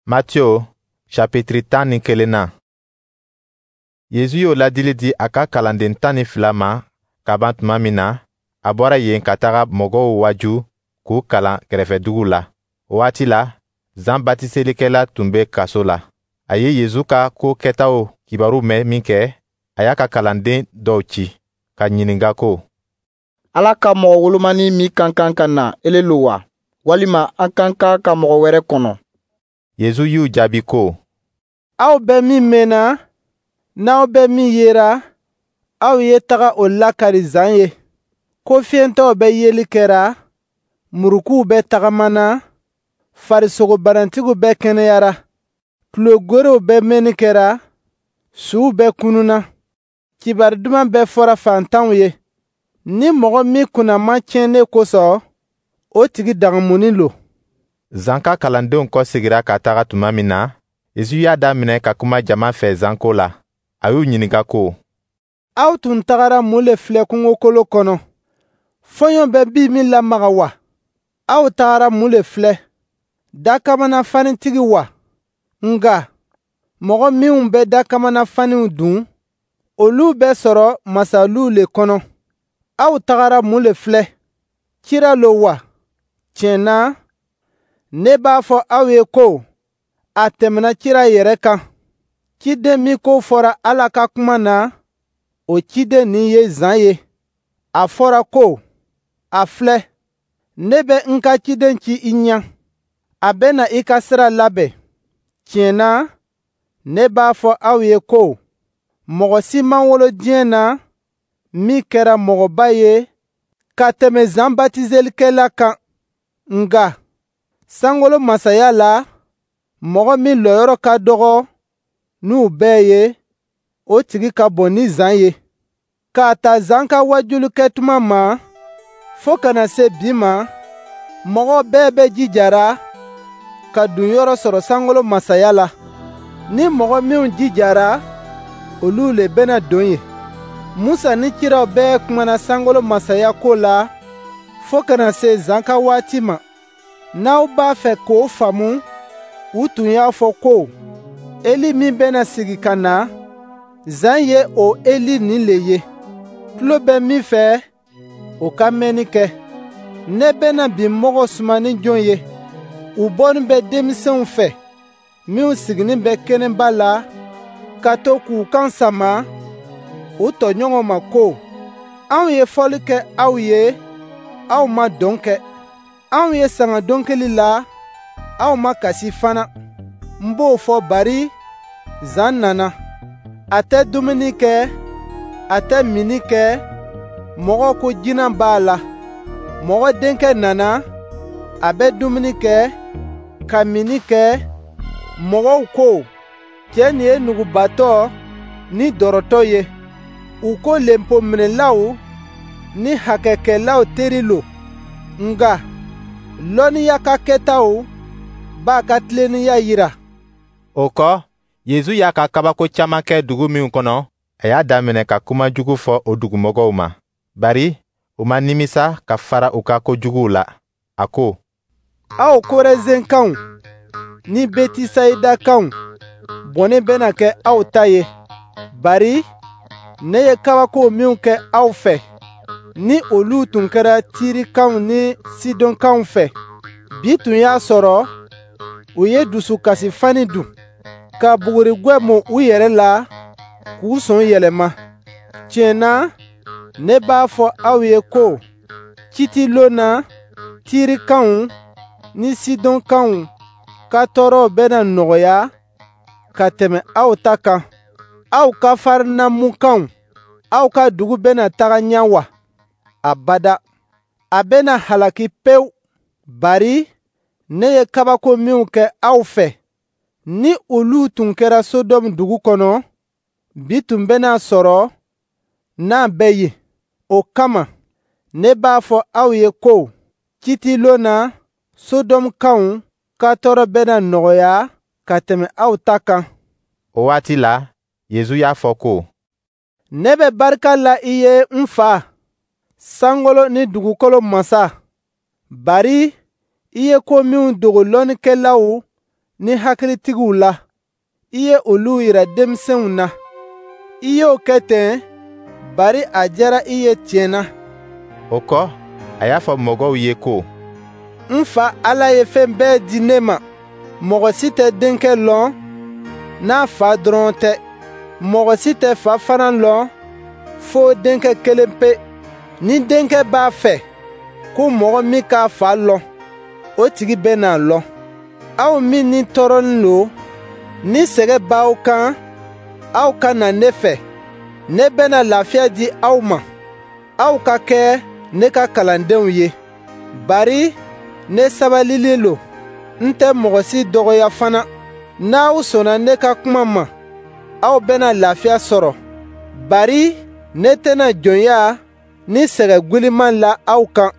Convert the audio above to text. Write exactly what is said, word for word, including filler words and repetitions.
Matthieu chapitre tan ni kelen na, Yezu y'o ladili di a ka kalanden tan ni fila ma ka ban tuma min na, a bɔra yen ka taga mɔgɔw waaju k'u kalan kɛrɛfɛduguw la. O waati la, Zan batiselikɛla tun bɛ kaso la. A ye Yezu ka ko kɛtaw kibaru mɛn minkɛ, a y'a ka kalanden dɔw ci ka ɲininka ko: «Ala ka mɔgɔ wolomani min ka kan ka na, ele lo wa, walima an ka kan ka mɔgɔ wɛrɛ kɔnɔ?» Yezu y'u jaabi ko: «Aw bɛ min mɛnna, n'aw bɛ min yera, aw ye taga o lakari Zan ye, ko fiyentɔw bɛ yeli kɛra, murukuw bɛ tagamana, farisogobanatigiw bɛ kɛnɛyara, tulo bɛ mɛnni kɛra, suw bɛ kununa, kibaru duman bɛ fɔra fantanw ye. Ni mɔgɔ min kunna ma tiɲɛ ne kosɔn, o tigi dagamunin lo.» Zan ka kalandenw kɔsegira ka taga tuma min na, Yezu y'a daminɛ ka kuma jama fɛ Zan ko la. A y'u ɲininka ko: «Aw tun tagara mun le filɛ kungokolo kɔnɔ? Fɔɲɔ bɛ bin min lamaga wa? Aw tagara mun le filɛ? Dakamana fanitigi wa? Nga mɔgɔ minw bɛ dakamana faniw dun, olu bɛ sɔrɔ masaluw le kɔnɔ. Aw tagara mun le filɛ? Kira lo wa? Tiɲɛ na, ne b'a fɔ aw ye ko a tɛmɛna kira yɛrɛ kan. Ciden min ko fɔra Ala ka kuma na, o ciden nin ye Zan ye. A fɔra ko: ‹A filɛ, ne bɛ n ka ciden ci i ɲɛ, a bɛ na i ka sira labɛn.› Tiɲɛ na, ne b'a fɔ aw ye ko mɔgɔ si ma wolo diɲɛ na min kɛra mɔgɔba ye ka tɛmɛ Zan batiselikɛla kan. Nka sankolo masaya la, mɔgɔ min lɔyɔrɔ ka dɔgɔ n'u bɛɛ ye, o tigi ka bon ni Zan ye. K'a ta Zan ka wajulikɛ tuma ma fo ka na se bi ma, mɔgɔ bɛɛ bɛ jijara ka don yɔrɔ sɔrɔ sankolo masaya la. Ni mɔgɔ minw jijara, olu le bɛna don yen. Musa ni kiraw bɛɛ kumana sankolo masaya ko la fo ka na se Zan ka waati ma. N'aw b'a fɛ k'o faamu, u tun y'a fɔ ko Eli min bɛna sigi ka na, Zan ye o Eli nin le ye. Tulo bɛ min fɛ, o ka mɛnni kɛ. Ne bɛna bi mɔgɔ suma ni jɔn ye? U bɔnin bɛ denmisɛnw fɛ minw siginin bɛ kɛnɛba la ka to k'u kan sama u tɔɲɔgɔnw ma ko: Anw ye fɔli kɛ aw ye, aw ma dɔn kɛ. Anw ye sanga dɔnkili la, aw ma kasi fana. N b'o fɔ bari Zan nana. A tɛ dumuni kɛ, a tɛ minni kɛ, mɔgɔw ko jinɛ b'a la. Mɔgɔ denkɛ nana, a bɛ dumuni kɛ, ka minni kɛ, mɔgɔw ko cɛ nin ye nugubatɔ ni dɔrɔtɔ ye. U ko lenpominɛlaw ni hakɛkɛlaw teri lo. Nka lɔnniya ka kɛtaw b'a ka tilennenya yira.» O kɔ, Yezu y'a ka kabako caman kɛ dugu minw kɔnɔ, a y'a daminɛ ka kuma jugu fɔ o dugumɔgɔw ma, bari u ma nimisa ka fara u ka kojuguw la. A ko: «Aw Korezenkanw ni Betisayidakaw, bɔnɛ bɛna kɛ aw ta ye, bari ne ye kabako minw kɛ aw fɛ, ni olu tun kɛra Tirikaw ni Sidɔnkaw fɛ, bi tun y'a sɔrɔ u ye dusukasifani dun, ka bugurigwɛ mun u yɛrɛ la k'u sɔn yɛlɛma. Tiɲɛ na, ne b'a fɔ aw ye ko kiitilon na, Tirikaw ni Sidɔnkaw ka tɔɔrɔw bɛna nɔgɔya ka tɛmɛ aw ta kan. Aw Kafarnamukaw, aw ka dugu bɛna taga ɲɛ wa? Abada, a bɛna halaki pewu, bari ne ye kabako minw kɛ aw fɛ, ni olu tun kɛra Sodɔmu dugu kɔnɔ, bi tun bɛna sɔrɔ n'a bɛ yen. O kama, ne b'a fɔ aw ye ko kiitilon na, Sodɔmukaw ka tɔɔrɔ bɛna nɔgɔya ka tɛmɛ aw ta kan.» O waati la, Yezu y'a fɔ ko: «Ne bɛ barika la i ye, n Fa, sankolo ni dugukolo masa, bari i ye ko minw dogo lɔnnikɛlaw ni hakilitigiw la, i ye olu yira denmisɛnw na. I y'o kɛ ten, bari a diyara i ye tiɲɛ na. O kɔ, a y'a fɔ mɔgɔw ye ko: N Fa Ala ye fɛn bɛɛ di ne ma. Mɔgɔ si tɛ Denkɛ lɔn n'a Fa dɔrɔn tɛ. Mɔgɔ si tɛ Fa fana lɔn fo Denkɛ kelenpe. Ni Denkɛ b'a fɛ ko mɔgɔ min k'a Fa lɔn, o tigi bɛna a lɔn. Aw min ni tɔɔrɔnin lo, ni sɛgɛn b'aw kan, aw ka na ne fɛ. Ne bɛna lafiya di aw ma. Aw ka kɛ ne ka kalandenw ye, bari ne sabalinin lo, n tɛ mɔgɔ si dɔgɔya fana. N'aw sɔnna ne ka kuma ma, aw bɛna lafiya sɔrɔ, bari ne tɛna jɔnya ni sɛgɛn gwiliman la aw kan.